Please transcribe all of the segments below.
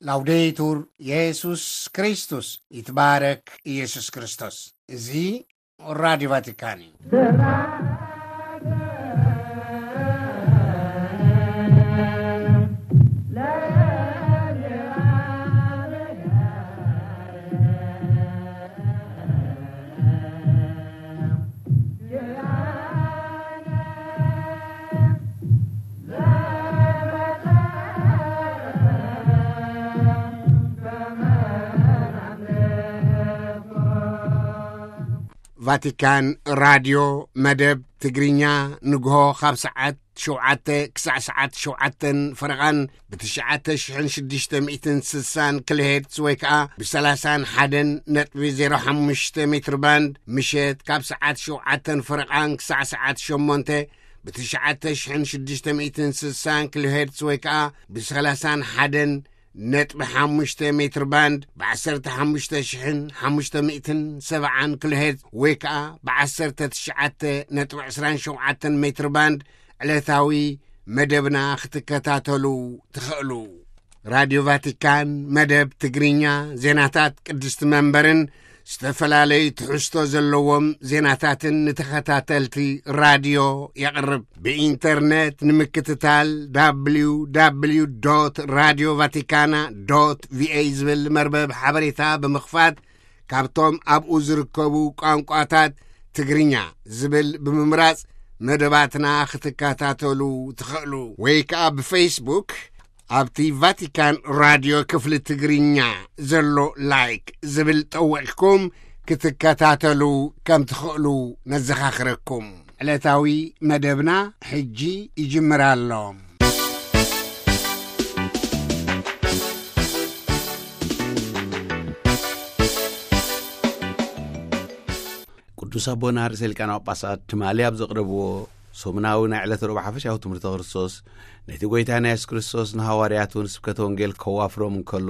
ላውዴቱር የሱስ ክርስቶስ፣ ይትባረክ ኢየሱስ ክርስቶስ። እዚ ራዲዮ ቫቲካን እዩ። ቫቲካን ራድዮ መደብ ትግርኛ፣ ንግሆ ካብ ሰዓት ሸውዓተ ክሳዕ ሰዓት ሸውዓተን ፈረቓን ብ ትሽዓተ ሽሕን ሽዱሽተ ሚእትን ስሳን ኪሎ ሄርትዝ ወይ ከኣ ብ ሰላሳን ሓደን ነጥቢ ዜሮ ሓሙሽተ ሜትር ባንድ፣ ምሸት ካብ ሰዓት ሸውዓተን ፈረቓን ክሳዕ ሰዓት ሸሞንተ ብ ትሽዓተ ሽሕን ሽዱሽተ ሚእትን ስሳን ኪሎ ሄርትዝ ወይ ከኣ ብ ሰላሳን ሓደን ነጥቢ ሓሙሽተ ሜትር ባንድ፣ ብ ዓሰርተ ሓሙሽተ ሽሕን ሓሙሽተ ሚእትን ሰብዓን ኪሎ ሄርትዝ ወይ ከኣ ብ ዓሰርተ ትሽዓተ ነጥቢ ዕስራን ሸውዓተን ሜትር ባንድ ዕለታዊ መደብና ክትከታተሉ ትኽእሉ። ራድዮ ቫቲካን መደብ ትግርኛ፣ ዜናታት ቅድስቲ መንበርን ዝተፈላለዩ ትሕዝቶ ዘለዎም ዜናታትን ንተኸታተልቲ ራድዮ የቕርብ። ብኢንተርነት ንምክትታል፣ www vatican va ዝብል መርበብ ሓበሬታ ብምኽፋት፣ ካብቶም ኣብኡ ዝርከቡ ቋንቋታት ትግርኛ ዝብል ብምምራጽ መደባትና ክትከታተሉ ትኽእሉ። ወይ ከኣ ብፌስቡክ ኣብቲ ቫቲካን ራድዮ ክፍሊ ትግርኛ ዘሎ ላይክ ዝብል ጠዊቕኩም ክትከታተሉ ከም ትኽእሉ ነዘኻኽረኩም። ዕለታዊ መደብና ሕጂ ይጅምር ኣሎ። ቅዱስ ኣቦና ርእሰ ሊቃነ ጳጳሳት ትማሊ ኣብ ዘቕረብዎ ሰሙናዊ ናይ ዕለተ ረቡዕ ሓፈሻዊ ትምህርተ ክርስቶስ፣ ነቲ ጐይታ ናይ የሱስ ክርስቶስ ንሃዋርያቱ ንስብከተ ወንጌል ከዋፍሮም እንከሎ፣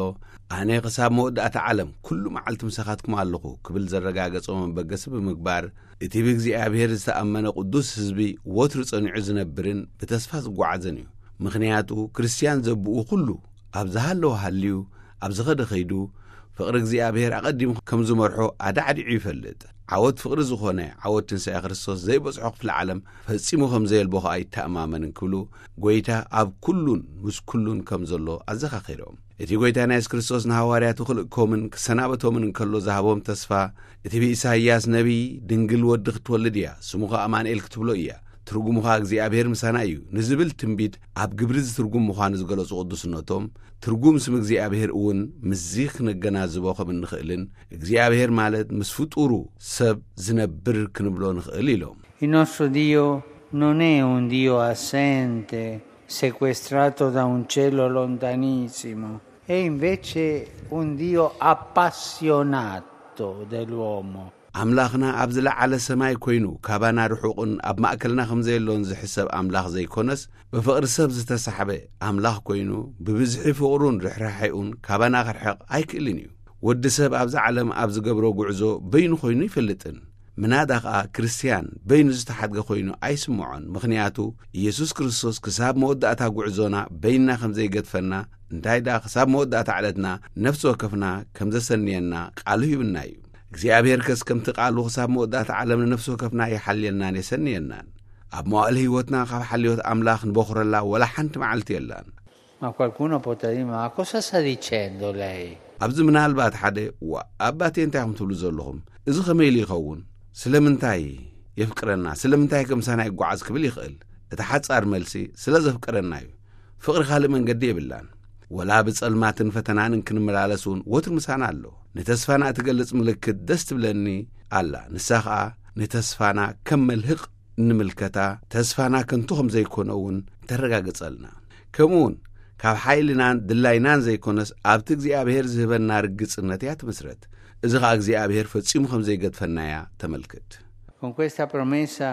ኣነ ክሳብ መወዳእታ ዓለም ኩሉ መዓልቲ ምሳኻትኩም ኣለኹ ክብል ዘረጋገጾ መበገሲ ብምግባር፣ እቲ ብእግዚኣብሔር ዝተኣመነ ቅዱስ ህዝቢ ወትሩ ጸኒዑ ዝነብርን ብተስፋ ዝጓዓዝን እዩ። ምኽንያቱ ክርስትያን ዘብኡ ኩሉ ኣብ ዝሃለወ ሃልዩ፣ ኣብ ዝኸደ ኸይዱ፣ ፍቕሪ እግዚኣብሔር ኣቐዲሙ ከም ዝመርሖ ኣዳዕዲዑ ይፈልጥ። ዓወት ፍቕሪ ዝኾነ ዓወት ትንሳኤ ክርስቶስ ዘይበጽሖ ክፍለ ዓለም ፈጺሙ ከም ዘየልቦ ኸኣ ይተኣማመን እንክብሉ፣ ጐይታ ኣብ ኩሉን ምስ ኩሉን ከም ዘሎ ኣዘኻኺሮም። እቲ ጐይታ ናይ የሱስ ክርስቶስ ንሃዋርያቱ ክልእኮምን ክሰናበቶምን እንከሎ ዝሃቦም ተስፋ፣ እቲ ብኢሳይያስ ነቢይ፣ "ድንግል ወዲ ክትወልድ እያ፣ ስሙ ኸኣ ኣማኑኤል ክትብሎ እያ፣ ትርጉሙ ኸኣ እግዚኣብሔር ምሳና እዩ" ንዝብል ትንቢት ኣብ ግብሪ ዝትርጉም ምዃኑ ዝገለጹ ቅዱስነቶም፣ ትርጉም ስም እግዚኣብሔር እውን ምስዚ ክነገናዝቦ ከም እንኽእልን፣ እግዚኣብሔር ማለት ምስ ፍጡሩ ሰብ ዝነብር ክንብሎ ንኽእል ኢሎም። Il nostro Dio non è un Dio assente, sequestrato da un cielo lontanissimo, è invece un Dio appassionato dell'uomo. ኣምላኽና ኣብ ዝለዓለ ሰማይ ኮይኑ ካባና ርሑቕን ኣብ ማእከልና ከም ዘየሎን ዝሕሰብ ኣምላኽ ዘይኮነስ፣ ብፍቕሪ ሰብ ዝተሳሕበ ኣምላኽ ኮይኑ፣ ብብዝሒ ፍቕሩን ርሕራሐኡን ካባና ክርሕቕ ኣይክእልን እዩ። ወዲ ሰብ ኣብዛ ዓለም ኣብ ዝገብሮ ጉዕዞ በይኑ ኮይኑ ይፈልጥን። ምናዳ ኸኣ ክርስትያን በይኑ ዝተሓድገ ኮይኑ ኣይስምዖን። ምኽንያቱ ኢየሱስ ክርስቶስ ክሳብ መወዳእታ ጉዕዞና በይንና ከም ዘይገድፈና፣ እንታይ ደኣ ክሳብ መወዳእታ ዕለትና ነፍሲ ወከፍና ከም ዘሰንየና ቃሉ ሂብና እዩ። እግዚኣብሔር ከስ ከምቲ ቃሉ ክሳብ መወዳእታ ዓለም ንነፍሲ ወከፍና ይሓልየልናን የሰንየናን። ኣብ መዋእል ህይወትና ካብ ሓልዮት ኣምላኽ ንበኹረላ ወላ ሓንቲ መዓልቲ የላን። Ma qualcuno potrà dire: "Ma cosa sta dicendo lei?" ኣብዚ ምናልባት ሓደ፣ "ዋ፣ ኣባቴ እንታይ ኢኹም ትብሉ ዘለኹም? እዚ ኸመይ ኢሉ ይኸውን? ስለምንታይ የፍቅረና? ስለምንታይ ከምሳና ይጓዓዝ?" ክብል ይኽእል። እቲ ሓጻር መልሲ፣ ስለ ዘፍቅረና እዩ። ፍቕሪ ካልእ መንገዲ የብላን። ወላ ብጸልማትን ፈተናን እንክንመላለስ እውን ወትሩ ምሳና ኣሎ። ንተስፋና እትገልጽ ምልክት ደስ ትብለኒ ኣላ። ንሳ ኸኣ ንተስፋና ከም መልህቕ እንምልከታ፣ ተስፋና ከንቱ ከም ዘይኮነ እውን ተረጋግጸልና። ከምኡ እውን ካብ ሓይልናን ድላይናን ዘይኮነስ ኣብቲ እግዚኣብሔር ዝህበና ርግጽነት እያ ትምስረት። እዚ ኸኣ እግዚኣብሔር ፈጺሙ ከም ዘይገድፈና እያ ተመልክት። Con questa promessa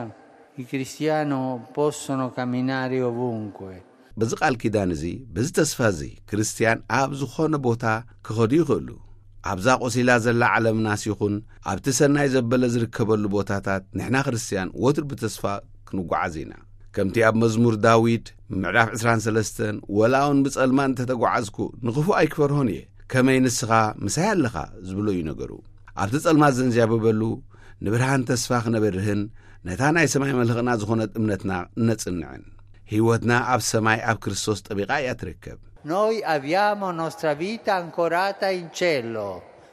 i cristiani possono camminare ovunque. በዚ ቃል ኪዳን እዚ፣ በዚ ተስፋ እዚ፣ ክርስትያን ኣብ ዝኾነ ቦታ ክኸዱ ይኽእሉ። ኣብዛ ቆሲላ ዘላ ዓለምናስ ይኹን ኣብቲ ሰናይ ዘበለ ዝርከበሉ ቦታታት፣ ንሕና ክርስትያን ወትሩ ብተስፋ ክንጓዓዝ ኢና። ከምቲ ኣብ መዝሙር ዳዊት ምዕራፍ ዕስራን ሰለስተን፣ "ወላ እውን ብጸልማት እንተተጓዓዝኩ፣ ንኽፉእ ኣይክፈርሆን እየ፣ ከመይ ንስኻ ምሳይ ኣለኻ?" ዝብሎ እዩ ነገሩ። ኣብቲ ጸልማት ዘንዚያበበሉ፣ ንብርሃን ተስፋ ክነበርህን ነታ ናይ ሰማይ መልህቕና ዝኾነት እምነትና እነጽንዕን። ህይወትና ኣብ ሰማይ ኣብ ክርስቶስ ጠቢቓ እያ ትርከብ። Noi abbiamo nostra vita ancorata in cielo.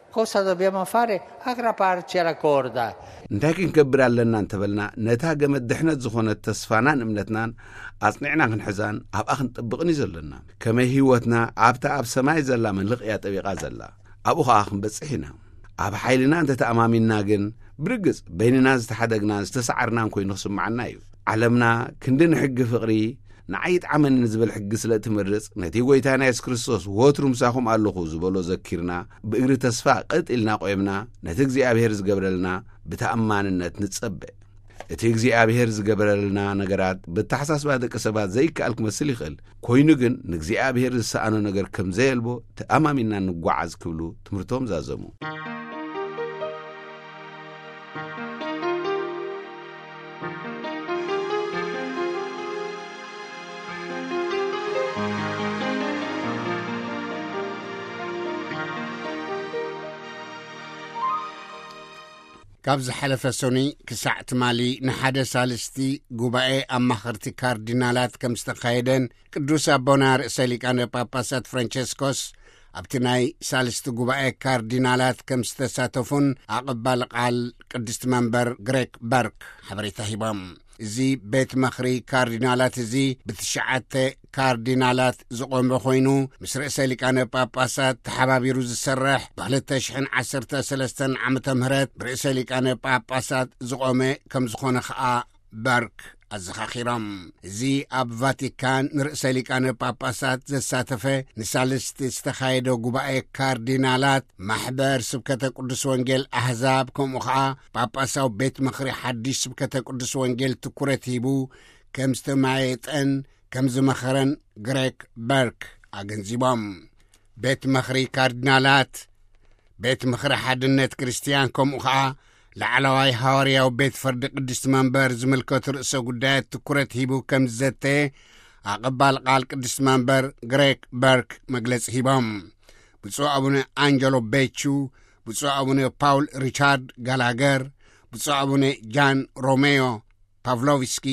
Cosa dobbiamo fare? Aggrapparci alla corda. እንታይ ክንገብር ኣለና እንተበልና፣ ነታ ገመድ ድሕነት ዝኾነት ተስፋናን እምነትናን ኣጽኒዕና ክንሕዛን ኣብኣ ክንጠብቕን እዩ ዘለና። ከመይ ህይወትና ኣብታ ኣብ ሰማይ ዘላ መልህቕ እያ ጠቢቓ ዘላ፣ ኣብኡ ኸኣ ክንበጽሕ ኢና። ኣብ ሓይልና እንተተኣማሚንና ግን፣ ብርግጽ በይንና ዝተሓደግናን ዝተሰዓርናን ኮይኑ ክስምዓና እዩ። ዓለምና ክንዲ ንሕጊ ፍቕሪ ንዓይ ይጥዓመኒ ንዝብል ሕጊ ስለ እትመርጽ፣ ነቲ ጐይታና የሱስ ክርስቶስ "ወትሩ ምሳኹም ኣለኹ" ዝበሎ ዘኪርና፣ ብእግሪ ተስፋ ቀጥ ኢልና ቆይምና፣ ነቲ እግዚኣብሔር ዝገብረልና ብተኣማንነት ንጸበ። እቲ እግዚኣብሔር ዝገበረልና ነገራት ብተሓሳስባ ደቂ ሰባት ዘይከኣል ክመስል ይኽእል፣ ኮይኑ ግን ንእግዚኣብሔር ዝሰኣኖ ነገር ከም ዘየልቦ ተኣማሚንና ንጓዓዝ ክብሉ ትምህርቶም ዛዘሙ። ካብ ዝሓለፈ ሰኑይ ክሳዕ ትማሊ ንሓደ ሳልስቲ ጉባኤ ኣማኸርቲ ካርዲናላት ከም ዝተኻየደን፣ ቅዱስ ኣቦና ርእሰ ሊቃነ ጳጳሳት ፍራንቸስኮስ ኣብቲ ናይ ሳልስቲ ጉባኤ ካርዲናላት ከም ዝተሳተፉን ኣቐባሊ ቃል ቅድስቲ መንበር ግሬክ በርክ ሓበሬታ ሂቦም። እዚ ቤት ምኽሪ ካርዲናላት እዚ ብትሽዓተ ካርዲናላት ዝቖመ ኮይኑ፣ ምስ ርእሰ ሊቃነ ጳጳሳት ተሓባቢሩ ዝሰርሕ፣ ብ ክልተ ሽሕን ዓሰርተ ሰለስተን ዓመተ ምህረት ብርእሰ ሊቃነ ጳጳሳት ዝቖመ ከም ዝኾነ ኸኣ በርክ ኣዘኻኺሮም። እዚ ኣብ ቫቲካን ንርእሰ ሊቃነ ጳጳሳት ዘሳተፈ ንሳልስቲ ዝተኻየደ ጉባኤ ካርዲናላት፣ ማሕበር ስብከተ ቅዱስ ወንጌል ኣህዛብ፣ ከምኡ ኸኣ ጳጳሳዊ ቤት ምኽሪ ሓድሽ ስብከተ ቅዱስ ወንጌል ትኩረት ሂቡ ከም ዝተማየጠን ከም ዝመኸረን ግሬክ በርክ ኣገንዚቦም። ቤት ምኽሪ ካርዲናላት፣ ቤት ምኽሪ ሓድነት ክርስትያን፣ ከምኡ ኸኣ ላዕለዋይ ሃዋርያዊ ቤት ፍርዲ ቅድስቲ መንበር ዝምልከቱ ርእሰ ጉዳያት ትኩረት ሂቡ ከም ዝዘተ ኣቐባል ቃል ቅድስቲ መንበር ግሬክ በርክ መግለጺ ሂቦም። ብፁዕ ኣቡነ ኣንጀሎ ቤቹ፣ ብፁዕ ኣቡነ ፓውል ሪቻርድ ጋላገር፣ ብፁዕ ኣቡነ ጃን ሮሜዮ ፓቭሎቭስኪ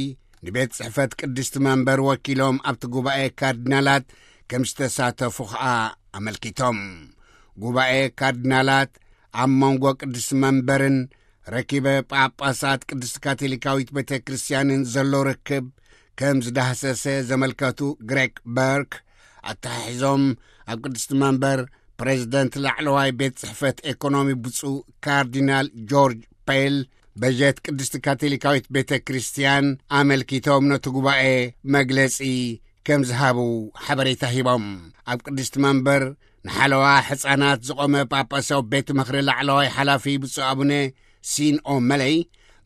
ንቤት ጽሕፈት ቅድስቲ መንበር ወኪሎም ኣብቲ ጉባኤ ካርዲናላት ከም ዝተሳተፉ ኸኣ ኣመልኪቶም። ጉባኤ ካርዲናላት ኣብ መንጎ ቅድስቲ መንበርን ረኪበ ጳጳሳት ቅድስቲ ካቶሊካዊት ቤተ ክርስቲያንን ዘሎ ርክብ ከም ዝዳህሰሰ ዘመልከቱ ግሬክ በርክ፣ ኣተሓሒዞም ኣብ ቅድስቲ መንበር ፕሬዝደንት ላዕለዋይ ቤት ጽሕፈት ኤኮኖሚ ብፁዕ ካርዲናል ጆርጅ ፔል፣ በጀት ቅድስቲ ካቶሊካዊት ቤተ ክርስቲያን ኣመልኪቶም ነቲ ጉባኤ መግለጺ ከም ዝሃቡ ሓበሬታ ሂቦም። ኣብ ቅድስቲ መንበር ንሓለዋ ሕፃናት ዝቖመ ጳጳሳዊ ቤት ምኽሪ ላዕለዋይ ሓላፊ ብፁዕ ኣቡነ ሲን ኦመለይ፣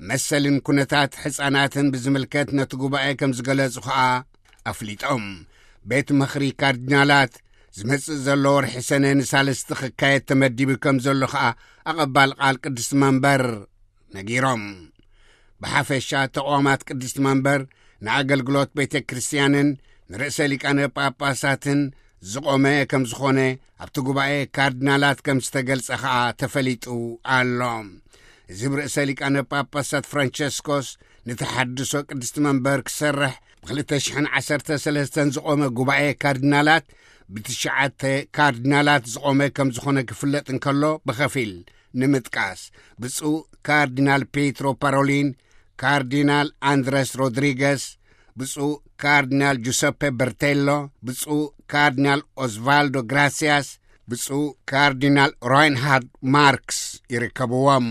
መሰልን ኩነታት ሕፃናትን ብዝምልከት ነቲ ጉባኤ ከም ዝገለጹ ኸኣ ኣፍሊጦም። ቤት ምኽሪ ካርዲናላት ዝመጽእ ዘሎ ወርሒ ሰነ ንሳልስቲ ክካየድ ተመዲቡ ከም ዘሎ ኸኣ ኣቐባል ቃል ቅድስቲ መንበር ነጊሮም። ብሓፈሻ ተቋማት ቅድስቲ መንበር ንኣገልግሎት ቤተ ክርስቲያንን ንርእሰ ሊቃነ ጳጳሳትን ዝቖመ ከም ዝኾነ ኣብቲ ጉባኤ ካርዲናላት ከም ዝተገልጸ ኸኣ ተፈሊጡ ኣሎ። እዚ ብርእሰ ሊቃነ ጳጳሳት ፍራንቸስኮስ ንተሓድሶ ቅድስቲ መንበር ክሰርሕ ብ ክልተ ሽሕን ዓሰርተ ሰለስተን ዝቖመ ጉባኤ ካርዲናላት ብትሽዓተ ካርዲናላት ዝቖመ ከም ዝኾነ ክፍለጥ እንከሎ፣ ብኸፊል ንምጥቃስ ብፁዕ ካርዲናል ፔትሮ ፓሮሊን፣ ካርዲናል ኣንድረስ ሮድሪገስ፣ ብፁዕ ካርዲናል ጁሰፔ በርቴሎ፣ ብፁዕ ካርዲናል ኦስቫልዶ ግራሲያስ፣ ብፁዕ ካርዲናል ራይንሃርድ ማርክስ ይርከብዎም።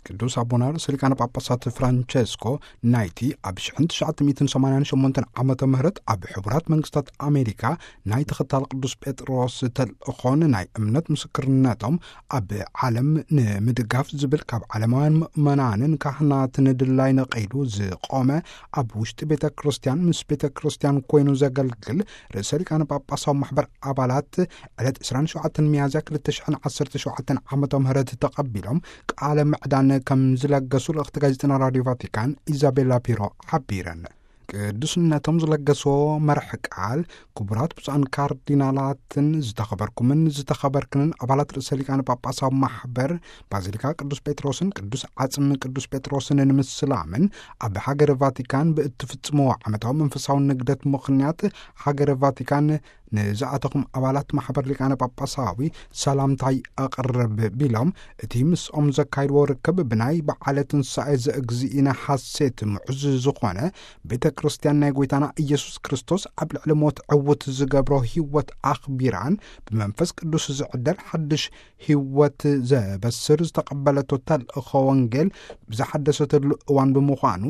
ቅዱስ ኣቦና ርእሰ ሊቃነ ጳጳሳት ፍራንቸስኮ ናይቲ ኣብ ሽሕን ትሽዓተ ሚእትን ሰማንያን ሸሞንተን ዓመተ ምህረት ኣብ ሕቡራት መንግስታት ኣሜሪካ ናይ ተኸታል ቅዱስ ጴጥሮስ ተልእኾን ናይ እምነት ምስክርነቶም ኣብ ዓለም ንምድጋፍ ዝብል ካብ ዓለማውያን ምእመናንን ካህናትን ድላይ ነቐይዱ ዝቆመ ኣብ ውሽጢ ቤተ ክርስቲያን ምስ ቤተ ክርስቲያን ኮይኑ ዘገልግል ርእሰ ሊቃነ ጳጳሳዊ ማሕበር ኣባላት ዕለት ዕስራን ሸውዓተን ሚያዝያ ክልተ ሽሕን ዓሰርተ ሸውዓተን ዓመተ ምህረት ተቐቢሎም ቃለ ምዕዳን ከም ዝለገሱ ልእኽቲ ጋዜጠና ራዲዮ ቫቲካን ኢዛቤላ ፒሮ ሓቢረን። ቅዱስነቶም ዝለገስዎ መርሕ ቃል ክቡራት ብፁዓን ካርዲናላትን ዝተኸበርኩምን ዝተኸበርክንን ኣባላት ርእሰ ሊቃነ ጳጳሳዊ ማሕበር ባዚሊካ ቅዱስ ጴጥሮስን ቅዱስ ዓጽሚ ቅዱስ ጴጥሮስን ንምስላምን ኣብ ሃገረ ቫቲካን ብእትፍጽምዎ ዓመታዊ መንፈሳዊ ንግደት ምኽንያት ሃገረ ቫቲካን ንዝኣተኹም ኣባላት ማሕበር ሊቃነ ጳጳሳዊ ሰላምታይ ኣቕርብ ቢሎም፣ እቲ ምስኦም ዘካይድዎ ርክብ ብናይ በዓለ ትንሳኤ ዘእግዚእነ ሓሴት ምዑዝ ዝኾነ ቤተ ክርስቲያን ናይ ጎይታና ኢየሱስ ክርስቶስ ኣብ ልዕሊ ሞት ዕውት ዝገብሮ ህይወት ኣኽቢራን ብመንፈስ ቅዱስ ዝዕደል ሓድሽ ህይወት ዘበስር ዝተቐበለቶ ተልእኾ ወንጌል ብዝሓደሰትሉ እዋን ብምዃኑ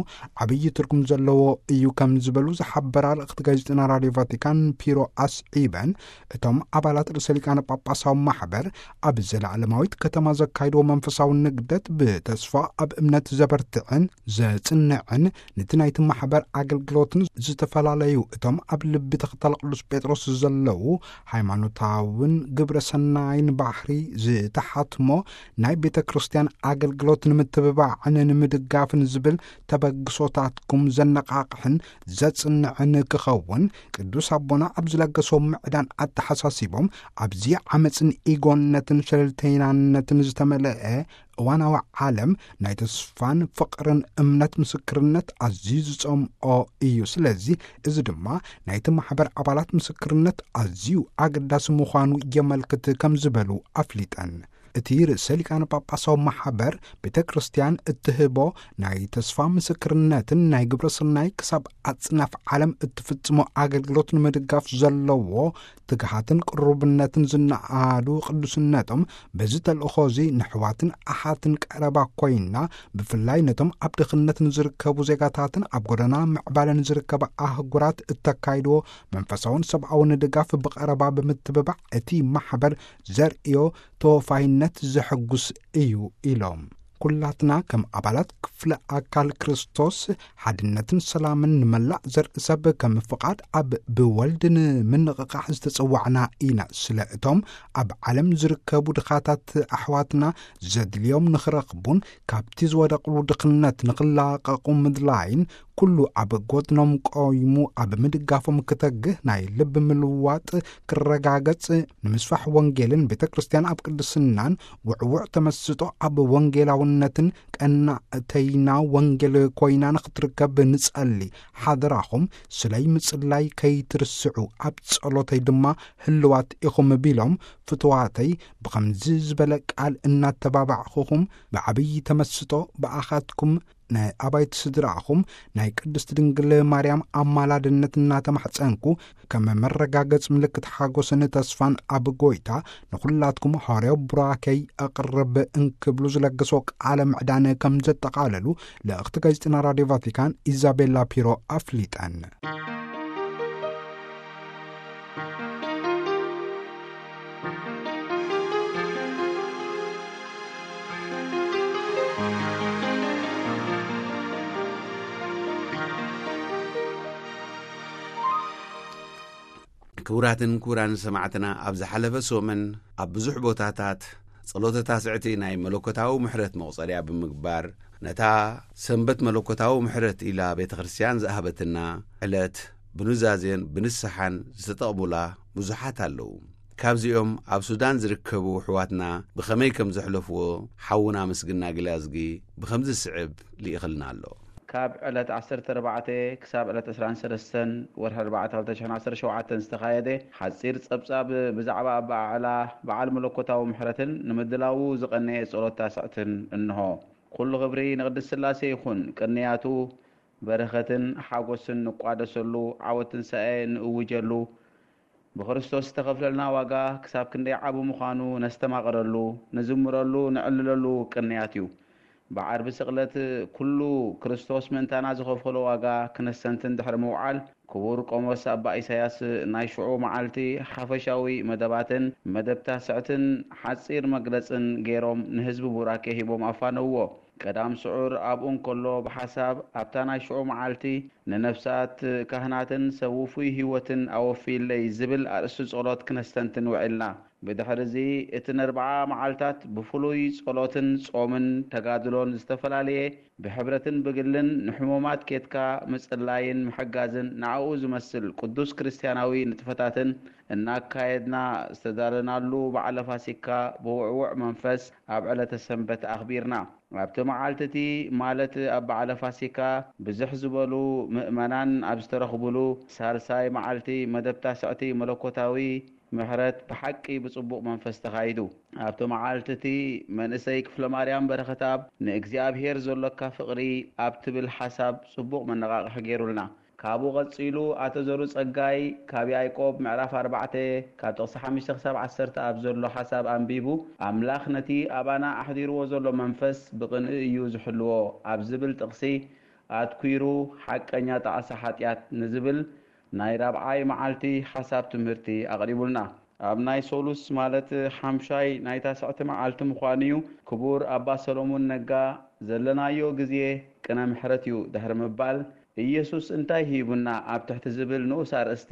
ዓብዪ ትርጉም ዘለዎ እዩ ከም ዝበሉ ዝሓበራ ልእኽቲ ጋዜጠና ራዲዮ ቫቲካን ፒሮ ኣስዒበን፣ እቶም ኣባላት ርእሰ ሊቃነ ጳጳሳዊ ማሕበር ኣብ ዘለዓለማዊት ከተማ ዘካይድዎ መንፈሳዊ ንግደት ብተስፋ ኣብ እምነት ዘበርትዕን ዘጽንዕን፣ ነቲ ናይቲ ማሕበር ኣገልግሎትን ዝተፈላለዩ እቶም ኣብ ልቢ ተኸታሊ ቅዱስ ጴጥሮስ ዘለዉ ሃይማኖታውን ግብረ ሰናይን ባህሪ ዝተሓትሞ ናይ ቤተ ክርስቲያን ኣገልግሎት ንምትብባዕን ንምድጋፍን ዝብል ተበግሶታትኩም ዘነቓቕሕን ዘጽንዕን ክኸውን ቅዱስ ኣቦና ኣብ ዝለገሶ ምዕዳን ኣተሓሳሲቦም፣ ኣብዚ ዓመፅን ኢጎነትን ሸለልተይናነትን ዝተመልአ እዋናዊ ዓለም ናይ ተስፋን ፍቕርን እምነት ምስክርነት ኣዝዩ ዝጸምኦ እዩ። ስለዚ እዚ ድማ ናይቲ ማሕበር ኣባላት ምስክርነት ኣዝዩ ኣገዳሲ ምዃኑ የመልክት ከም ዝበሉ ኣፍሊጠን። እቲ ርእሰ ሊቃነ ጳጳሳዊ ማሕበር ቤተ ክርስቲያን እትህቦ ናይ ተስፋ ምስክርነትን ናይ ግብረ ሰናይ ክሳብ ኣጽናፍ ዓለም እትፍጽሞ ኣገልግሎት ንምድጋፍ ዘለዎ ትግሃትን ቅሩብነትን ዝነኣዱ ቅዱስነቶም፣ በዚ ተልእኾ እዚ ንሕዋትን ኣሓትን ቀረባ ኮይና፣ ብፍላይ ነቶም ኣብ ድኽነት ንዝርከቡ ዜጋታትን ኣብ ጎደና ምዕባለ ንዝርከባ ኣህጉራት እተካይድዎ መንፈሳውን ሰብኣውን ድጋፍ ብቐረባ ብምትብባዕ፣ እቲ ማሕበር ዘርእዮ ተወፋይነት ዘሐጉስ እዩ ኢሎም። ኩላትና ከም ኣባላት ክፍለ ኣካል ክርስቶስ ሓድነትን ሰላምን ንመላእ ዘርኢ ሰብ ከም ፍቓድ ኣብ ብወልድ ንምንቕቓሕ ዝተጸዋዕና ኢና። ስለ እቶም ኣብ ዓለም ዝርከቡ ድኻታት ኣሕዋትና ዘድልዮም ንኽረኽቡን ካብቲ ዝወደቕሉ ድኽነት ንኽላቐቑ ምድላይን ኩሉ ኣብ ጎድኖም ቆይሙ ኣብ ምድጋፎም ክተግህ ናይ ልቢ ምልዋጥ ክረጋገጽ ንምስፋሕ ወንጌልን ቤተ ክርስቲያን ኣብ ቅድስናን ውዕውዕ ተመስጦ ኣብ ወንጌላውነትን ቀናእተይና ወንጌል ኮይና ንኽትርከብ ንጸሊ። ሓደራኹም ስለይ ምጽላይ ከይትርስዑ፣ ኣብ ጸሎተይ ድማ ህልዋት ኢኹም ቢሎም፣ ፍትዋተይ ብኸምዚ ዝበለ ቃል እናተባባዕኹኹም ብዓብዪ ተመስጦ ብኣኻትኩም ናይ ኣባይቲ ስድራኹም ናይ ቅድስት ድንግል ማርያም ኣማላድነት እናተማሕጸንኩ፣ ከም መረጋገጽ ምልክት ሓጎስን ተስፋን ኣብ ጎይታ ንኹላትኩም ሃዋርያዊ ቡራኬይ ኣቕርብ እንክብሉ ዝለገሶ ቃለ ምዕዳን ከም ዘጠቓለሉ ልእኽቲ ጋዜጠና ራድዮ ቫቲካን ኢዛቤላ ፒሮ ኣፍሊጠን። ክቡራትን ክቡራን ሰማዕትና፣ ኣብ ዝሓለፈ ሰሙን ኣብ ብዙሕ ቦታታት ጸሎተ ታስዕቲ ናይ መለኮታዊ ምሕረት መቑጸርያ ብምግባር፣ ነታ ሰንበት መለኮታዊ ምሕረት ኢላ ቤተ ክርስቲያን ዝኣህበትና ዕለት ብኑዛዜን ብንስሓን ዝተጠቕሙላ ብዙሓት ኣለዉ። ካብዚኦም ኣብ ሱዳን ዝርከቡ ኣሕዋትና ብኸመይ ከም ዘሕለፍዎ ሓውና ምስግና ግላዝጊ ብኸምዚ ዝስዕብ ልኢኽልና ኣሎ። ካብ ዕለት ዓሰርተ ኣርባዕተ ክሳብ ዕለት ዕስራን ሰለስተን ወርሒ ኣርባዕተ ክልተ ሽሕን ዓሰርተ ሸውዓተን ዝተኻየደ ሓጺር ጸብጻብ ብዛዕባ ኣበዓዕላ በዓል መለኮታዊ ምሕረትን ንምድላዉ ዝቐነየ ጸሎት ታስዕትን እንሆ። ኩሉ ክብሪ ንቅድስት ስላሴ ይኹን። ቅንያቱ በረኸትን ሓጎስን ንቋደሰሉ፣ ዓወት ትንሳኤ ንእውጀሉ፣ ብክርስቶስ ዝተኸፍለልና ዋጋ ክሳብ ክንደይ ዓቢ ምዃኑ ነስተማቕረሉ፣ ንዝምረሉ፣ ንዕልለሉ ቅንያት እዩ። ብዓርቢ ስቕለት ኩሉ ክርስቶስ ምእንታና ዝኸፈሎ ዋጋ ክነስተንትን ድሕሪ ምውዓል፣ ክቡር ቆሞስ ኣባ ኢሳያስ ናይ ሽዑ መዓልቲ ሓፈሻዊ መደባትን መደብ ታስዕትን ሓጺር መግለጽን ገይሮም ንህዝቢ ቡራኬ ሂቦም ኣፋነውዎ። ቀዳም ስዑር ኣብኡ እንከሎ ብሓሳብ ኣብታ ናይ ሽዑ መዓልቲ ንነፍሳት ካህናትን ሰብ ውፉይ ህይወትን ኣወፍይለይ ዝብል ኣርእስቲ ጸሎት ክነስተንትን ውዒልና። ብድሕርዚ እቲ ነርብዓ መዓልታት ብፍሉይ ጸሎትን ጾምን ተጋድሎን ዝተፈላለየ ብሕብረትን ብግልን ንሕሙማት ኬድካ ምጽላይን ምሕጋዝን ንኣኡ ዝመስል ቅዱስ ክርስትያናዊ ንጥፈታትን እናካየድና ዝተዳለናሉ በዓለ ፋሲካ ብውዕዉዕ መንፈስ ኣብ ዕለተ ሰንበት ኣኽቢርና። ኣብቲ መዓልቲ እቲ ማለት ኣብ በዓለ ፋሲካ ብዝሕ ዝበሉ ምእመናን ኣብ ዝተረኽቡሉ ሳልሳይ መዓልቲ መደብ ታስዕቲ መለኮታዊ ምሕረት ብሓቂ ብጽቡቕ መንፈስ ተኻይዱ። ኣብቲ መዓልቲ እቲ መንእሰይ ክፍለ ማርያም በረኸትኣብ ንእግዚኣብሔር ዘሎካ ፍቕሪ ኣብ ትብል ሓሳብ ጽቡቕ መነቓቕሒ ገይሩልና። ካብኡ ቐጺሉ ኣቶ ዘሩ ጸጋይ ካብ ያዕቆብ ምዕራፍ ኣርባዕተ ካብ ጥቕሲ ሓሙሽተ ክሳብ ዓሰርተ ኣብ ዘሎ ሓሳብ ኣንቢቡ፣ ኣምላኽ ነቲ ኣባና ኣሕዲርዎ ዘሎ መንፈስ ብቕንኢ እዩ ዝሕልዎ ኣብ ዝብል ጥቕሲ ኣትኲሩ ሓቀኛ ጣዕሳ ሓጢኣት ንዝብል ናይ ራብዓይ መዓልቲ ሓሳብ ትምህርቲ ኣቕሪቡልና። ኣብ ናይ ሶሉስ ማለት ሓምሻይ ናይ ታስዕቲ መዓልቲ ምዃኑ እዩ። ክቡር ኣባ ሰሎሞን ነጋ ዘለናዮ ግዜ ቅነ ምሕረት እዩ ድሕሪ ምባል፣ ኢየሱስ እንታይ ሂቡና ኣብ ትሕቲ ዝብል ንኡስ ኣርእስቲ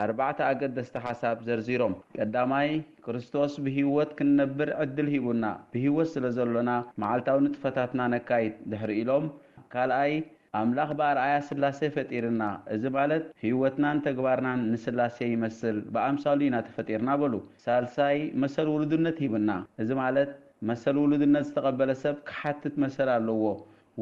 ኣርባዕተ ኣገደስቲ ሓሳብ ዘርዚሮም። ቀዳማይ፣ ክርስቶስ ብህይወት ክንነብር ዕድል ሂቡና፣ ብህይወት ስለ ዘሎና መዓልታዊ ንጥፈታትና ነካይድ ድሕሪ ኢሎም፣ ካልኣይ፣ ኣምላኽ ብኣርኣያ ስላሴ ፈጢርና፣ እዚ ማለት ህይወትናን ተግባርናን ንስላሴ ይመስል፣ ብኣምሳሉ ኢና ተፈጢርና በሉ። ሳልሳይ፣ መሰል ውሉድነት ሂብና፣ እዚ ማለት መሰል ውሉድነት ዝተቐበለ ሰብ ክሓትት መሰል ኣለዎ፣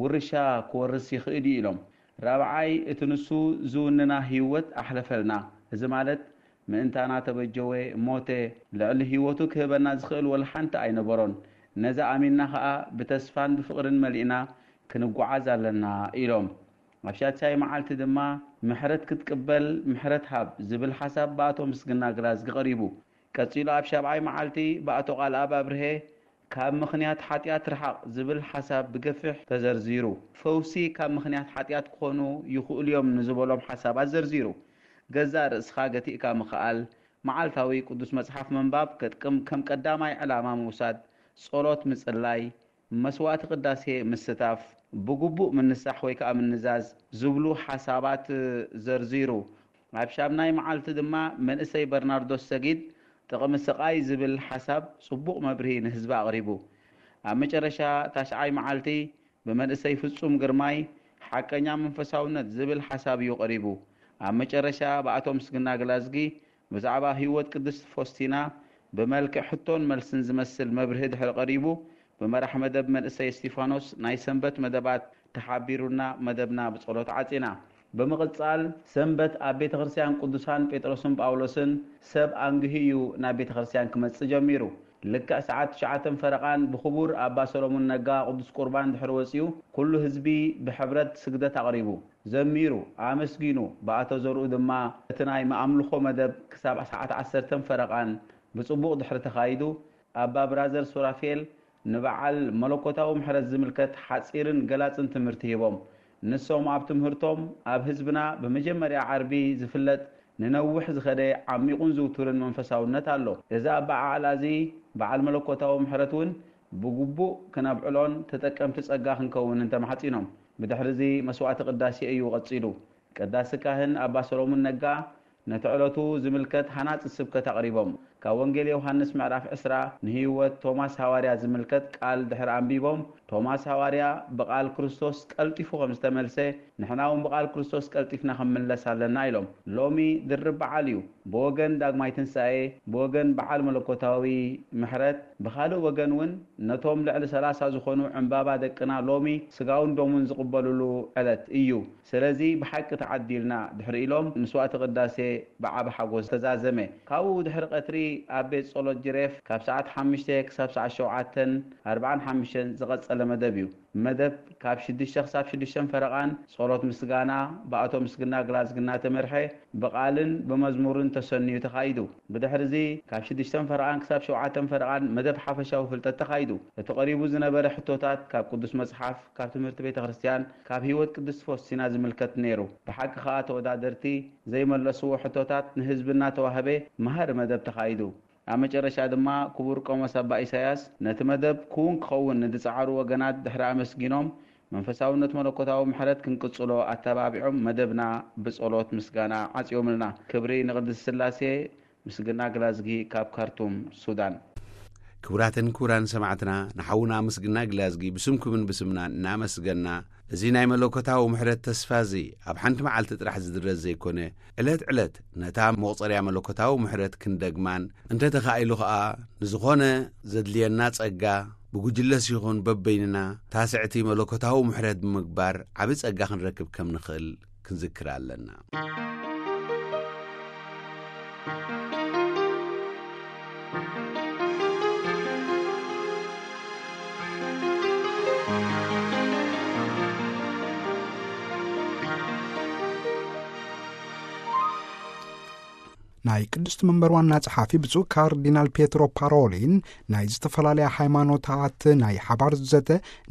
ውርሻ ክወርስ ይኽእል እዩ ኢሎም። ራብዓይ፣ እቲ ንሱ ዝውንና ህይወት ኣሕለፈልና፣ እዚ ማለት ምእንታና ተበጀወ፣ ሞተ፣ ልዕሊ ህይወቱ ክህበና ዝኽእል ወላ ሓንቲ ኣይነበሮን። ነዚ ኣሚንና ኸኣ ብተስፋን ብፍቕርን መሊእና ክንጓዓዝ ኣለና ኢሎም። ኣብ ሻድሻይ መዓልቲ ድማ ምሕረት ክትቅበል ምሕረት ሃብ ዝብል ሓሳብ ብኣቶ ምስግና ግላዝጊ ቀሪቡ። ቀጺሉ ኣብ ሻብዓይ መዓልቲ ብኣቶ ቃልኣብ ኣብርሀ ካብ ምኽንያት ሓጢኣት ርሓቕ ዝብል ሓሳብ ብገፊሕ ተዘርዚሩ። ፈውሲ ካብ ምኽንያት ሓጢኣት ክኾኑ ይኽእሉ እዮም ንዝበሎም ሓሳባት ዘርዚሩ። ገዛእ ርእስኻ ገቲእካ ምኽኣል፣ መዓልታዊ ቅዱስ መጽሓፍ ምንባብ ከጥቅም ከም ቀዳማይ ዕላማ ምውሳድ፣ ጸሎት ምጽላይ፣ መስዋዕቲ ቅዳሴ ምስታፍ፣ ብግቡእ ምንሳሕ ወይ ከኣ ምንዛዝ ዝብሉ ሓሳባት ዘርዚሩ። ኣብ ሻምናይ መዓልቲ ድማ መንእሰይ በርናርዶስ ሰጊድ ጥቕሚ ስቓይ ዝብል ሓሳብ ጽቡቕ መብርሂ ንህዝቢ ኣቕሪቡ። ኣብ መጨረሻ ታሽዓይ መዓልቲ ብመንእሰይ ፍጹም ግርማይ ሓቀኛ መንፈሳውነት ዝብል ሓሳብ እዩ ቀሪቡ። ኣብ መጨረሻ ብኣቶ ምስግና ግላዝጊ ብዛዕባ ህይወት ቅድስት ፎስቲና ብመልክዕ ሕቶን መልስን ዝመስል መብርሂ ድሕሪ ቀሪቡ፣ ብመራሕ መደብ መንእሰይ እስቲፋኖስ ናይ ሰንበት መደባት ተሓቢሩና መደብና ብጸሎት ዓጺና። ብምቕጻል ሰንበት ኣብ ቤተ ክርስቲያን ቅዱሳን ጴጥሮስን ጳውሎስን ሰብ ኣንግሂ እዩ ናብ ቤተ ክርስቲያን ክመጽእ ጀሚሩ። ልክዕ ሰዓት ትሽዓተን ፈረቓን ብኽቡር ኣባ ሰሎሞን ነጋ ቅዱስ ቁርባን ድሕሪ ወጺኡ ኩሉ ህዝቢ ብሕብረት ስግደት ኣቕሪቡ። ዘሚሩ፣ ኣመስጊኑ፣ ብኣቶ ዘርኡ ድማ እቲ ናይ መኣምልኾ መደብ ክሳብ ሰዓት ዓሰርተን ፈረቓን ብጽቡቕ ድሕሪ ተኻይዱ፣ ኣባ ብራዘር ሱራፌል ንበዓል መለኮታዊ ምሕረት ዝምልከት ሓጺርን ገላጽን ትምህርቲ ሂቦም። ንሶም ኣብ ትምህርቶም፣ ኣብ ህዝብና ብመጀመርያ ዓርቢ ዝፍለጥ ንነዊሕ ዝኸደ ዓሚቑን ዝውቱርን መንፈሳውነት ኣሎ። እዚ ኣበዓዕላ እዚ በዓል መለኮታዊ ምሕረት እውን ብግቡእ ክነብዕሎን ተጠቀምቲ ጸጋ ክንከውንን ተማሕጺኖም። ብድሕሪ እዚ መስዋዕቲ ቅዳሴ እዩ ቀጺሉ። ቀዳሲ ካህን ኣባ ሰሎሙን ነጋ ነቲ ዕለቱ ዝምልከት ሃናጺ ስብከት ኣቕሪቦም። ካብ ወንጌል ዮሃንስ ምዕራፍ ዕስራ ንህይወት ቶማስ ሃዋርያ ዝምልከት ቃል ድሕሪ ኣንቢቦም፣ ቶማስ ሃዋርያ ብቓል ክርስቶስ ቀልጢፉ ከም ዝተመልሰ፣ ንሕና እውን ብቓል ክርስቶስ ቀልጢፍና ክንምለስ ኣለና ኢሎም። ሎሚ ድርብ በዓል እዩ። ብወገን ዳግማይ ትንሳኤ፣ ብወገን በዓል መለኮታዊ ምሕረት፣ ብኻልእ ወገን እውን ነቶም ልዕሊ ሰላሳ ዝኾኑ ዕምባባ ደቅና ሎሚ ስጋውን ደሙን ዝቕበልሉ ዕለት እዩ። ስለዚ ብሓቂ ተዓዲልና ድሕሪ ኢሎም ምስዋእቲ ቅዳሴ ብዓቢ ሓጎስ ተዛዘመ። ካብኡ ድሕሪ ቀትሪ ኣብ ቤት ጸሎት ጅሬፍ ካብ ሰዓት ሓሙሽተ ክሳብ ሰዓት ሸውዓተን ኣርብዓን ሓሙሽተን ዝቐጸለ መደብ እዩ። መደብ ካብ ሽዱሽተ ክሳብ ሽዱሽተን ፈረቓን ጸሎት ጸሎት ምስጋና ብኣቶ ምስግና ግላዝጊ እናተመርሐ ብቓልን ብመዝሙርን ተሰንዩ ተኻይዱ። ብድሕሪ እዚ ካብ ሽዱሽተ ፈረቓን ክሳብ ሸውዓተ ፈረቓን መደብ ሓፈሻዊ ፍልጠት ተኻይዱ። እቲ ቀሪቡ ዝነበረ ሕቶታት ካብ ቅዱስ መጽሓፍ፣ ካብ ትምህርቲ ቤተ ክርስቲያን፣ ካብ ህይወት ቅድስት ፎስቲና ዝምልከት ነይሩ። ብሓቂ ከኣ ተወዳደርቲ ዘይመለስዎ ሕቶታት ንህዝቢ እናተዋህበ መሃሪ መደብ ተኻይዱ። ኣብ መጨረሻ ድማ ክቡር ቆሞስ ኣባ ኢሳያስ ነቲ መደብ ክውን ክኸውን ንዝጸዓሩ ወገናት ድሕሪ ኣመስጊኖም፣ መንፈሳውነት መለኮታዊ ምሕረት ክንቅጽሎ ኣተባቢዖም መደብና ብጸሎት ምስጋና ዓጽዮምልና። ክብሪ ንቅድስት ስላሴ። ምስግና ግላዝጊ ካብ ካርቱም ሱዳን። ክቡራትን ክቡራን ሰማዕትና፣ ንሓውና ምስግና ግላዝጊ ብስምኩምን ብስምና እናመስገና፣ እዚ ናይ መለኮታዊ ምሕረት ተስፋ እዚ ኣብ ሓንቲ መዓልቲ ጥራሕ ዝድረስ ዘይኮነ፣ ዕለት ዕለት ነታ መቑጸርያ መለኮታዊ ምሕረት ክንደግማን፣ እንተ ተኻኢሉ ኸኣ ንዝኾነ ዘድልየና ጸጋ ብጉጅለስ ይኹን በበይንና ታስዕቲ መለኮታዊ ምሕረት ብምግባር ዓቢ ጸጋ ክንረክብ ከም ንኽእል ክንዝክር ኣለና። ናይ ቅድስቲ መንበር ዋና ጸሓፊ ብፁዕ ካርዲናል ፔትሮ ፓሮሊን፣ ናይ ዝተፈላለያ ሃይማኖታት ናይ ሓባር ዘተ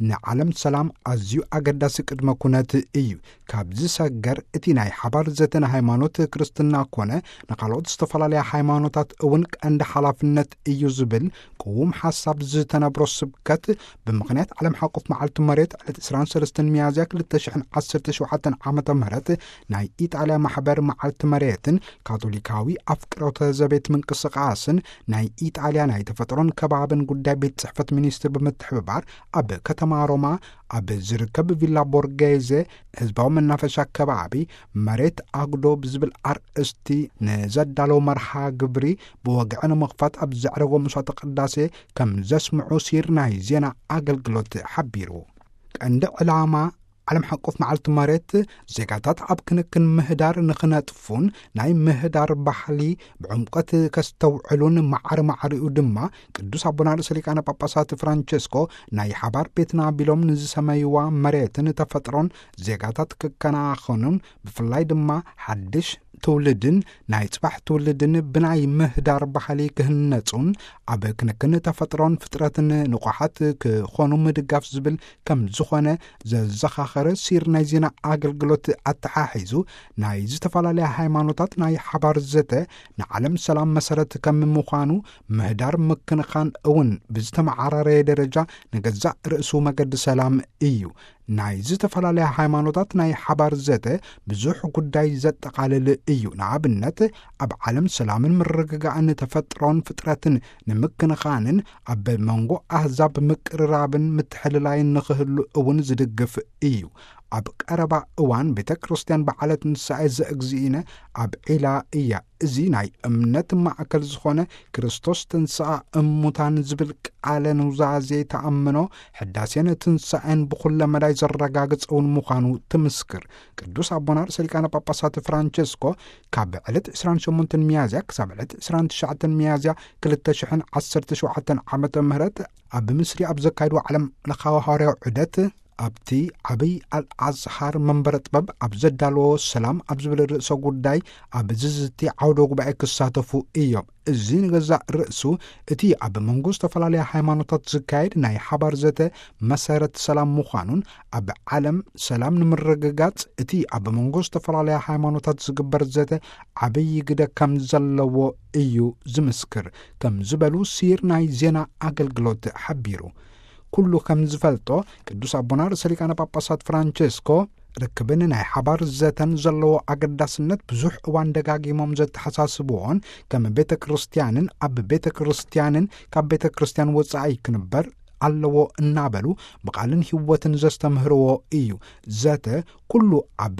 ንዓለም ሰላም ኣዝዩ ኣገዳሲ ቅድመ ኩነት እዩ። ካብ ዝሰገር እቲ ናይ ሓባር ዘተ ንሃይማኖት ክርስትና ኮነ ንኻልኦት ዝተፈላለያ ሃይማኖታት እውን ቀንዲ ሓላፍነት እዩ ዝብል ቅዉም ሓሳብ ዝተነብሮ ስብከት፣ ብምኽንያት ዓለም ሓቆፍ መዓልቲ መሬት ዕለት ዕስራን ሰለስተን ሚያዝያ ክልተ ሽሕን ዓሰርተ ሸውዓተን ዓመተ ምህረት ናይ ኢጣልያ ማሕበር መዓልቲ መሬትን ካቶሊካዊ ኣፍቅሮተ ዘቤት ምንቅስቃስን ናይ ኢጣልያ ናይ ተፈጥሮን ከባብን ጉዳይ ቤት ጽሕፈት ሚኒስትር ብምትሕብባር ኣብ ከተማ ሮማ ኣብ ዝርከብ ቪላ ቦርጌዜ ህዝባዊ መናፈሻ ከባቢ መሬት ኣጉዶ ብዝብል ኣርእስቲ ንዘዳለወ መርሃ ግብሪ ብወግዒ ንምኽፋት ኣብ ዘዕረጎ መስዋዕተ ቅዳሴ ከም ዘስምዑ ሲር ናይ ዜና ኣገልግሎት ሓቢሩ። ቀንዲ ዕላማ ዓለም ሓቆፍ መዓልቲ መሬት ዜጋታት ኣብ ክንክን ምህዳር ንኽነጥፉን ናይ ምህዳር ባህሊ ብዕምቆት ከስተውዕሉን ማዕረ ማዕሪኡ ድማ ቅዱስ ኣቦና ርእሰ ሊቃነ ጳጳሳት ፍራንቸስኮ ናይ ሓባር ቤትና ቢሎም ንዝሰመይዋ መሬትን ተፈጥሮን ዜጋታት ክከናኸኑን ብፍላይ ድማ ሓድሽ ትውልድን ናይ ጽባሕ ትውልድን ብናይ ምህዳር ባህሊ ክህነጹን ኣብ ክንክን ተፈጥሮን ፍጥረትን ንቑሓት ክኾኑ ምድጋፍ ዝብል ከም ዝኾነ ዘዘኻኸረ ሲር ናይ ዜና ኣገልግሎት ኣተሓሒዙ፣ ናይ ዝተፈላለያ ሃይማኖታት ናይ ሓባር ዘተ ንዓለም ሰላም መሰረት ከም ምዃኑ፣ ምህዳር ምክንኻን እውን ብዝተመዓራረየ ደረጃ ንገዛእ ርእሱ መገዲ ሰላም እዩ። ናይ ዝተፈላለያ ሃይማኖታት ናይ ሓባር ዘተ ብዙሕ ጉዳይ ዘጠቓልል እዩ። ንኣብነት፣ ኣብ ዓለም ሰላምን ምርግጋእን ተፈጥሮን ፍጥረትን ንምክንኻንን ኣብ መንጎ ኣህዛብ ምቅርራብን ምትሕልላይን ንኽህሉ እውን ዝድግፍ እዩ። ኣብ ቀረባ እዋን ቤተ ክርስቲያን በዓለ ትንሳኤ ዘእግዚእነ ኣብዒላ እያ። እዚ ናይ እምነት ማእከል ዝኾነ ክርስቶስ ተንሥኣ እሙታን ዝብል ቃለ ኑዛዜ ተኣምኖ፣ ሕዳሴን ትንሳኤን ብኹለ መዳይ ዘረጋግጽ እውን ምዃኑ ትምስክር። ቅዱስ ኣቦና ርእሰ ሊቃነ ጳጳሳት ፍራንቸስኮ ካብ ዕለት ዕስራን ሸሞንተን ሚያዝያ ክሳብ ዕለት ዕስራን ትሽዓተን ሚያዝያ ክልተ ሽሕን ዓሰርተ ሸውዓተን ዓመተ ምህረት ኣብ ምስሪ ኣብ ዘካየድዎ ዓለም ለኻዊ ሃዋርያዊ ዑደት፣ ኣብቲ ዓብይ ኣልኣዝሃር መንበረ ጥበብ ኣብ ዘዳለዎ ሰላም ኣብ ዝብል ርእሰ ጉዳይ ኣብ ዝዝቲ ዓውደ ጉባኤ ክሳተፉ እዮም። እዚ ንገዛእ ርእሱ እቲ ኣብ መንጎ ዝተፈላለያ ሃይማኖታት ዝካየድ ናይ ሓባር ዘተ መሰረት ሰላም ምዃኑን፣ ኣብ ዓለም ሰላም ንምርግጋጽ እቲ ኣብ መንጎ ዝተፈላለያ ሃይማኖታት ዝግበር ዘተ ዓብይ ግደ ከም ዘለዎ እዩ ዝምስክር፣ ከም ዝበሉ ሲር ናይ ዜና ኣገልግሎት ሓቢሩ። ኩሉ ከም ዝፈልጦ፣ ቅዱስ ኣቦና ርእሰ ሊቃነ ጳጳሳት ፍራንቸስኮ ርክብን ናይ ሓባር ዘተን ዘለዎ ኣገዳስነት ብዙሕ እዋን ደጋጊሞም ዘተሓሳስብዎን፣ ከም ቤተ ክርስቲያንን ኣብ ቤተ ክርስቲያንን ካብ ቤተ ክርስቲያን ወጻኢ ክንበር ኣለዎ እናበሉ ብቓልን ህይወትን ዘስተምህርዎ እዩ። ዘተ ኩሉ ኣብ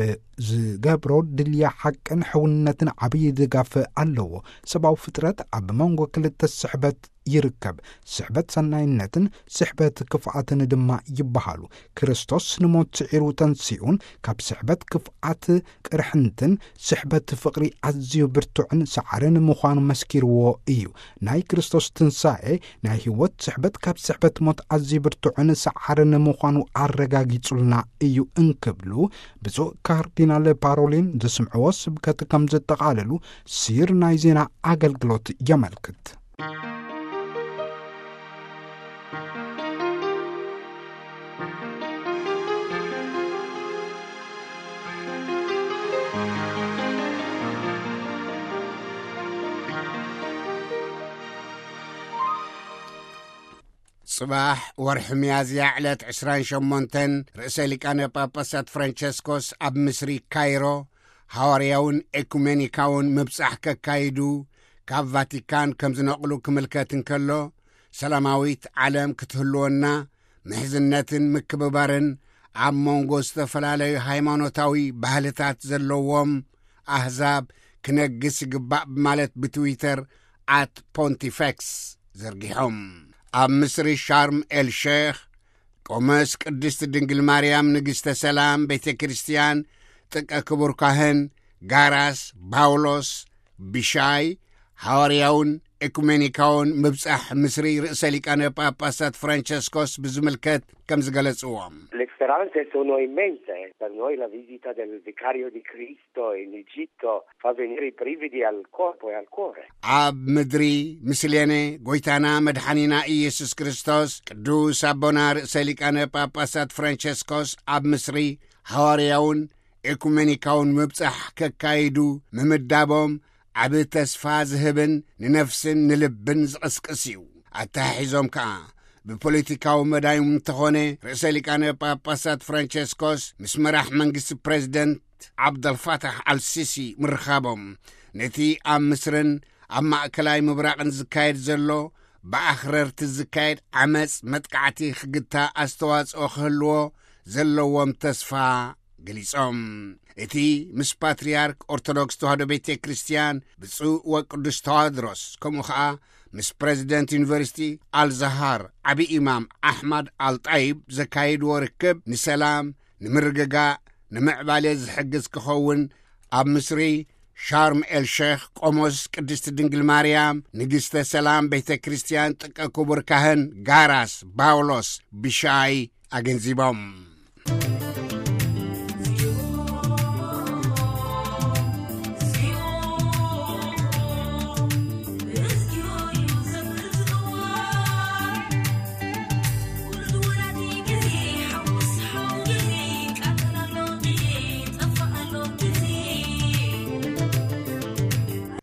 ዝገብሮ ድልያ ሓቅን ሕውነትን ዓብዪ ድጋፍ ኣለዎ። ሰብኣዊ ፍጥረት ኣብ መንጎ ክልተ ስሕበት ይርከብ። ስሕበት ሰናይነትን ስሕበት ክፍኣትን ድማ ይበሃሉ። ክርስቶስ ንሞት ስዒሩ ተንሲኡን ካብ ስሕበት ክፍኣት ቅርሕንትን ስሕበት ፍቕሪ ኣዝዩ ብርቱዕን ሰዓርን ምዃኑ መስኪርዎ እዩ። ናይ ክርስቶስ ትንሳኤ ናይ ህይወት ስሕበት ካብ ስሕበት ሞት ኣዝዩ ብርቱዕን ሰዓርን ምዃኑ ኣረጋጊጹልና እዩ እንክብሉ ብፁዕ ካርዲናል ፓሮሊን ዘስምዕዎ ስብከት ከም ዘጠቓለሉ ሲር ናይ ዜና ኣገልግሎት የመልክት። ጽባሕ ወርሒ ሚያዝያ ዕለት ዕስራን ሸሞንተን ርእሰ ሊቃነ ጳጳሳት ፍራንቸስኮስ ኣብ ምስሪ ካይሮ ሃዋርያውን ኤኩሜኒካውን ምብጻሕ ከካይዱ ካብ ቫቲካን ከም ዝነቕሉ ክምልከት እንከሎ፣ ሰላማዊት ዓለም ክትህልወና ምሕዝነትን ምክብባርን ኣብ መንጎ ዝተፈላለዩ ሃይማኖታዊ ባህልታት ዘለዎም ኣህዛብ ክነግስ ይግባእ ብማለት ብትዊተር ኣት ፖንቲፌክስ ዘርጊሖም። ኣብ ምስሪ ሻርም ኤል ሼኽ ቆመስ ቅድስት ድንግል ማርያም ንግሥተ ሰላም ቤተ ክርስቲያን ጥቀ ክቡር ካህን ጋራስ ባውሎስ ብሻይ ሃዋርያውን ኤኩሜኒካውን ምብጻሕ ምስሪ ርእሰ ሊቃነ ጳጳሳት ፍራንቸስኮስ ብዝምልከት ከም ዝገለጽዎም። Le speranze sono immense per noi, la visita del vicario di Cristo in Egitto fa venire i brividi al corpo e al cuore. ኣብ ምድሪ ምስሌነ ጎይታና መድሓኒና ኢየሱስ ክርስቶስ ቅዱስ ኣቦና ርእሰ ሊቃነ ጳጳሳት ፍራንቸስኮስ ኣብ ምስሪ ሃዋርያውን ኤኩሜኒካውን ምብጻሕ ከካይዱ ምምዳቦም ዓቢ ተስፋ ዝህብን ንነፍስን ንልብን ዝቕስቅስ እዩ። ኣተሓሒዞም ከኣ ብፖለቲካዊ መዳዮም እንተኾነ ርእሰ ሊቃነ ጳጳሳት ፍራንቸስኮስ ምስ መራሕ መንግስቲ ፕሬዚደንት ዓብደልፋታሕ ኣልሲሲ ምርኻቦም ነቲ ኣብ ምስርን ኣብ ማእከላይ ምብራቕን ዝካየድ ዘሎ ብኣኽረርቲ ዝካየድ ዓመጽ መጥቃዕቲ ክግታ ኣስተዋጽኦ ክህልዎ ዘለዎም ተስፋ ገሊጾም። እቲ ምስ ፓትርያርክ ኦርቶዶክስ ተዋህዶ ቤተ ክርስቲያን ብፁዕ ወቅዱስ ተዋድሮስ ከምኡ ኸኣ ምስ ፕሬዚደንት ዩኒቨርሲቲ ኣልዛሃር ዓቢ ኢማም ኣሕማድ ኣልጣይብ ዘካየድዎ ርክብ ንሰላም፣ ንምርግጋእ፣ ንምዕባለ ዝሕግዝ ክኸውን ኣብ ምስሪ ሻርም ኤል ሼኽ ቆሞስ ቅድስቲ ድንግል ማርያም ንግሥተ ሰላም ቤተ ክርስቲያን ጥቀ ክቡር ካህን ጋራስ ባውሎስ ብሻይ ኣገንዚቦም።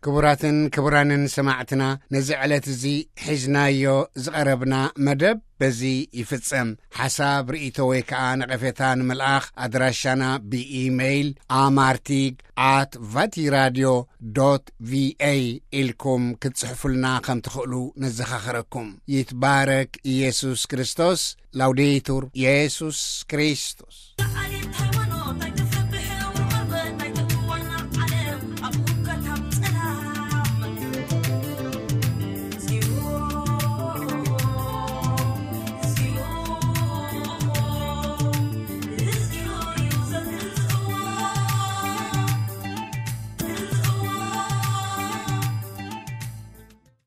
ክቡራትን ክቡራንን ሰማዕትና፣ ነዚ ዕለት እዚ ሒዝናዮ ዝቐረብና መደብ በዚ ይፍጸም። ሓሳብ፣ ርእይቶ ወይ ከኣ ነቐፌታ ንምልኣኽ ኣድራሻና ብኢሜይል ኣማርቲግ ኣት ቫቲራድዮ ዶት ቪኤ ኢልኩም ክትጽሕፉልና ከም ትኽእሉ ነዘኻኽረኩም። ይትባረክ ኢየሱስ ክርስቶስ። ላውዴቱር ኢየሱስ ክርስቶስ።